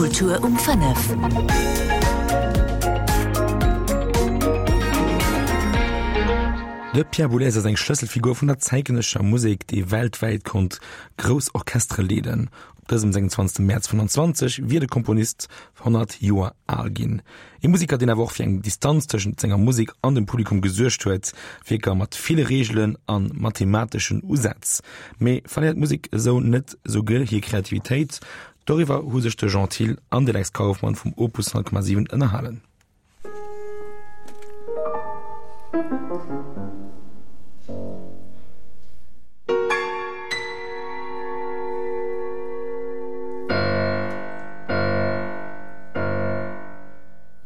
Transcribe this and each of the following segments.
Kultur um 5. De Pierre Boulez ass eng Schlësselfigur vun der zäitgenëssescher Musek, déi weltwäit konnt grouss Orchestere leeden. Op dësem 26 Mäerz 25 wier de Komponist 100 Joer al ginn. Ee Museker, deen awer och fir eng Distanz tëschent senger Musek an dem Publikum gesuergt huet. Wierker mat ville Reegelen a mathemateschen Usätz. Mee verléiert d'Musek esou net souguer hir Kreativitéit? Doriwwer hu sech de Jean Thill an de Lex Kauffmann vum Opus 100,7 ënnerhalen.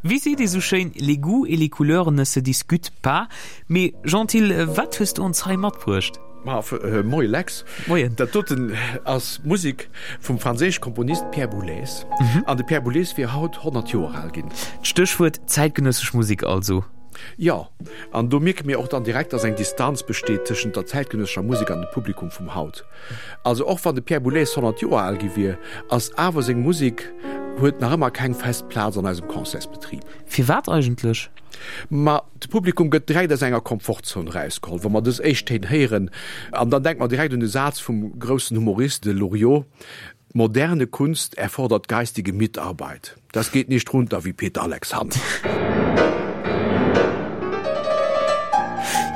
Wéi seet ee sou schéin, les goûts et les couleurs ne se discutent pas. Mee Jean Thill, wat hues du ons hei matbruecht? Ma moie Lex. Moien. Dat doten ass Musek vum franséische Komponist Pierre Boulez. An de Pierre Boulez wier haut 100 Joer al ginn. D'Stéchwuert zäitgenëssesch Musek also. Jo, an do mierke mir och dann direkt, dass eng Distanz besteet tëschent der zäitgenëssescher Musek an dem Publikum vum haut. Also och wann de Pierre Boulez 100 Joer al gi wier, ass awer seng Musek huet nach ëmmer keng fest Plaz an eisem Concertsbetrib. Firwat eigentlech? Ma de Publikum gëtt direkt aus enger Komfortzon erausgeholl, wa mer dës éischt Téin héieren. An dann denke mer direkt un de Saz vum groussen Humorist, de Loriot, Moderne Kunst erfordert geistige Mitarbeit. Das geht nicht runter wie Peter Alexander.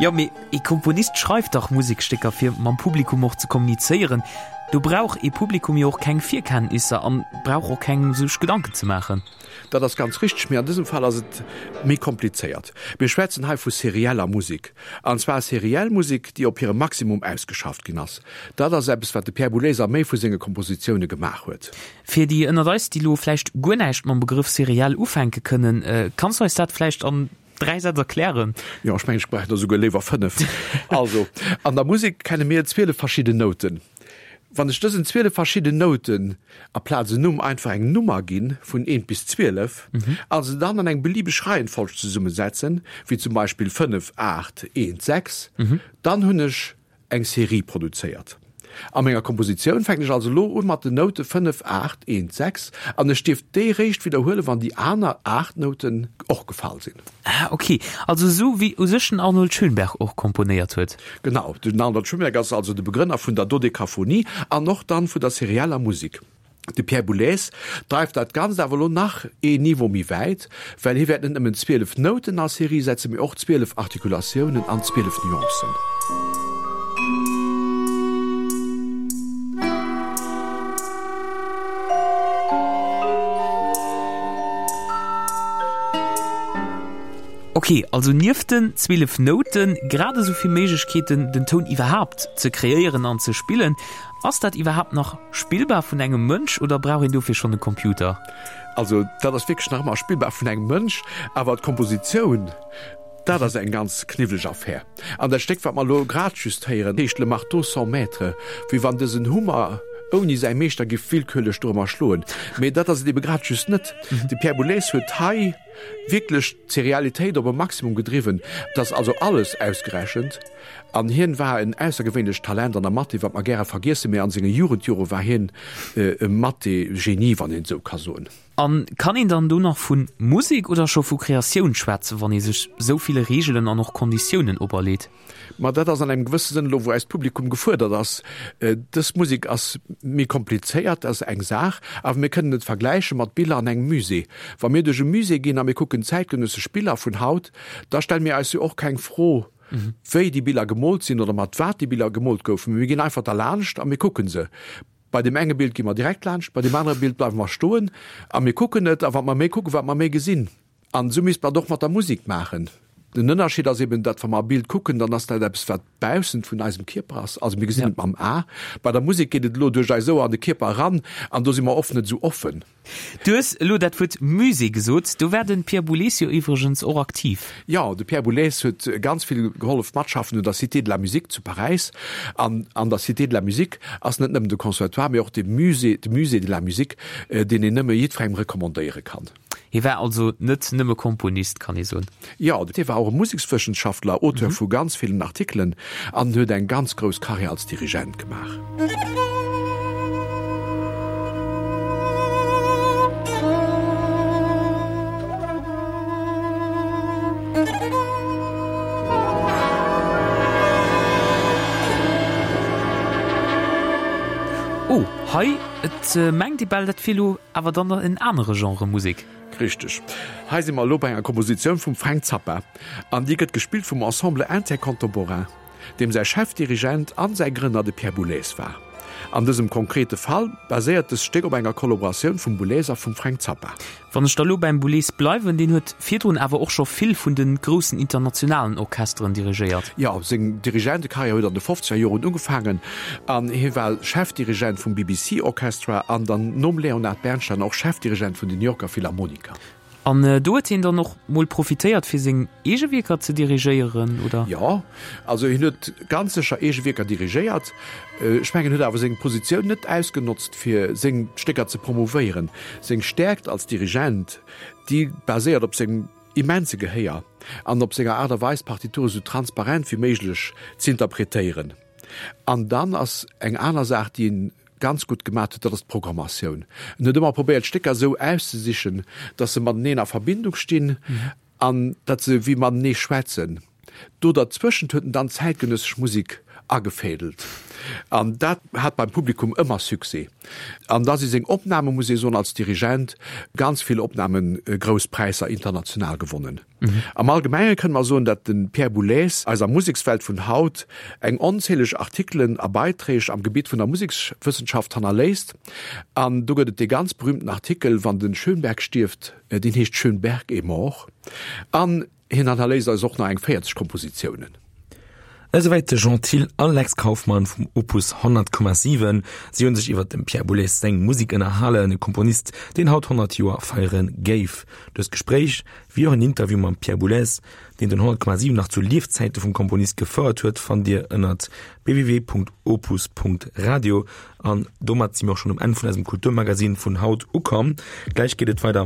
Jo, mee ee Komponist schreift dach Musekstécker fir mam Publikum och ze kommunizéieren. Do brauch ee Publikum jo och keng Virkenntnisser an brauch och keng sech Gedanken ze maachen. Dat ass ganz richteg, mee an dësem Fall ass et méi komplizéiert. Mir schwätzen hei vu serieller Musek, an zwar seriell Musek, déi op hirem Maximum ausgeschafft ginn ass. Dat ass eppes, wat de Pierre Boulez a méi vu senge Kompositioune gemaach huet. Fir déi ënnert eis, déi elo vläicht guer näischt mam Begrëff seriell ufänke kënnen, kanns du eis dat vläicht an 3 Sätz erklären? Jo, ech mengen, ech brauch der esouguer léiwer 5. Also, an der Musek kenne mir 12 verschidden Nouten. Wann ech dësen 12 verschidden Nouten aplaz en Numm einfach eng Nummer ginn, vun 1 bis 12, a se dann an eng beliebeg Reihenfolg zesummesetzen, wéi zum Beispill 5, 8, 1, 6, dann hunn ech eng Serie produzéiert. A menger Kompositioun fänken ech also elo u mat den Noute 5, 8, 1, 6 an ech dierf déi réischt widderhuelen, wann déi aner 8 Nouten och gefall sinn. Ah ok, also esou wéi u sech den Arnold Schönberg och komponéiert huet. Genau, den Arnold Schönberg ass also de Begrënner vun der Dodekaphonie an och dann vun der serieller Musek. De Pierre Boulez dreift dat Ganzt awer elo nach een Niveau méi wäit, well hie wäert net nëmmen 12 Nouten a Serie setzen, mee och 12 Artikulatiounen an 12 Nuancen. Ok, also nieft den 12 Nouten grad esou vill Méiglechkeeten den Toun iwwerhaapt ze kreéieren an ze spillen. Ass dat iwwerhaapt nach spillbar vun engem Mënsch oder brauch een dofir schonn e Computer? Also dat ass wierklech nach ëmmer spillbar vun engem Mënsch, awer d'Kompositioun, dat ass eng ganz kniwweleg Affär. An dat Stéck, wat mer elo grad just héieren, heescht Le marteau sans maître, wéi wann dësen Hummer ouni säi Meeschter giff willkürlech dorëmmer schloen. Mee dat ass et ebe grad just net. De Pierre Boulez huet hei wierklech d'Serialitéit op e Maximum gedriwwen. Et ass also alles ausgerechent. An hien war en aussergewéinlecht Talent an der Mathé, wat mer gäre vergiessen, mee an senge Jugendjore war hien e Mathé-Genie, wann een et esou ka soen. A kann een dann do nach vu Musek oder scho vu Kreatioun schwätzen, wann ee sech esou ville Reegelen an och Konditiounen operleet? Ma dat ass an engem gewësse Sënn elo, wou eist Publikum gefuerdert ass. Dës Musek ass méi komplizéiert, dat ass eng Saach, awer mir kënnen et vergläiche mat Biller an engem Musée. Wa mir duerch e Musée ginn a mir kucken zäitgenëssesch Biller vun haut, da stelle mir eis jo och keng Fro, wéi déi Biller gemoolt sinn oder mat wat déi Biller gemoolt goufen, mee mir ginn einfach derlaanscht a mir kucke se. Bei deem enge Bild gi mer direkt laanscht, bei deem anere Bild bleiwe mer stoen a mir kucken et. A wat mer méi kucken, wat mer méi gesinn. An esou misst mer et och mat der Musek maachen. Den Ënnerscheed ass eben, datt wa mer e Bild kucken, dann ass dat eppes, wat baussent vun eisem Kierper ass. Also mir gesinn et mam A. Bei der Musek geet et elo duerch eis Ouer an de Kierper eran an do si mer oft net esou offen. Du hues elo dat Wuert Musée gesot. Do war de Pierre Boulez jo iwwregens och aktiv. Jo, de Pierre Boulez huet ganz vill gehollef matschaffen un der Cité de la Musique zu Paräis. An an der Cité de la Musique ass net nëmmen de Conservatoire, mee och de Musée, de Musée de la Musique, deen een nëmme jiddwerengem recommandéiere kann. Hie war also net nëmme Komponist, kann ee soen. Jo, hie war och e Musekswëssenschaftler, Auteur vu ganz villen Artikelen an huet eng ganz grouss Karriär als Dirigent gemaach. Hei, et mengt ee bal, dat wier elo awer dann en anere Genre Musek. Richteg. Hei si mer elo bei enger Kompositioun vum Frank Zappa an déi gëtt gespillt vum Ensemble Intercontemporain, deem säi Chefdirigent an säi Grënner de Pierre Boulez war. An dësem konkrete Fall baséiert dëst Stéck op enger Kollaboratioun vum Boulez a vum Frank Zappa. Wann ech da lo beim Boulez bleiwen, deen huet virdrun awer och scho vill vun de groussen internationalen Orchesteren dirigéiert. Jo, seng Dirigentekarriär huet an de fofzeger Joren ugefaangen an hie war Chefdirigent vum BBC Orchestra an dann nom Leonard Bernstein och Chefdirigent vun den New Yorker Philharmoniker. An do huet hien dann och mol profitéiert fir seng eege Wierker ze dirigéieren, oder? Jo, also hien huet ganz sécher eege Wierker dirigéiert. Ech mengen, en huet awer seng Positioun net ausgenotzt fir seng Stécker ze promouvéieren. Seng Stäerkt als Dirigent, déi baséiert op sengem immense Gehéier an op senger Aart a Weis d'Partitur esou transparent wéi méiglech z'interpretéieren. An dann ass eng aner Saach, déi en ganz gutt gemat huet, dat ass d'Programmatioun. En huet ëmmer probéiert, d'Stécker esou auszesichen, datt se mateneen a Verbindung stinn an datt se wéi matenee schwätzen. Do derzwëschent huet en dann zäitgenëssesch Musek agefädelt an dat hat beim Publikum ëmmer Succès. An da si seng Opnamen, muss ee soen, als Dirigent ganz vill Opnamen, grouss Präisser international gewonnen. Am Allgemenge kënne mer soen, datt de Pierre Boulez eiser Musekswelt vun haut eng onzähleg Artikelen a Beiträg am Gebitt vun der Musekswëssenschaft hannerléisst. An do gëtt et dee ganz berühmten Artikel Wann de Schönberg stierft, deen heescht Schönberg est mort. An hien hannerléisst eis och nach eng 40 Kompositiounen. Esouwäit de Jean Thill a Lex Kauffmann vum Opus 100,7. Si hunn sech iwwer dem Pierre Boulez seng Musek ënnerhalen, e Komponist, deen haut 100 Joer feiere géif. Dëst Gespréich, wéi och en Interview mam Pierre Boulez, deen den 100,7 nach zu Liefzäite vum Komponist gefouert huet, fannt Dir ënnert www.opus.radio. An domat si mir och schonn um Enn vun eisem Kulturmagazin vun haut ukomm. Gläich geet et weider.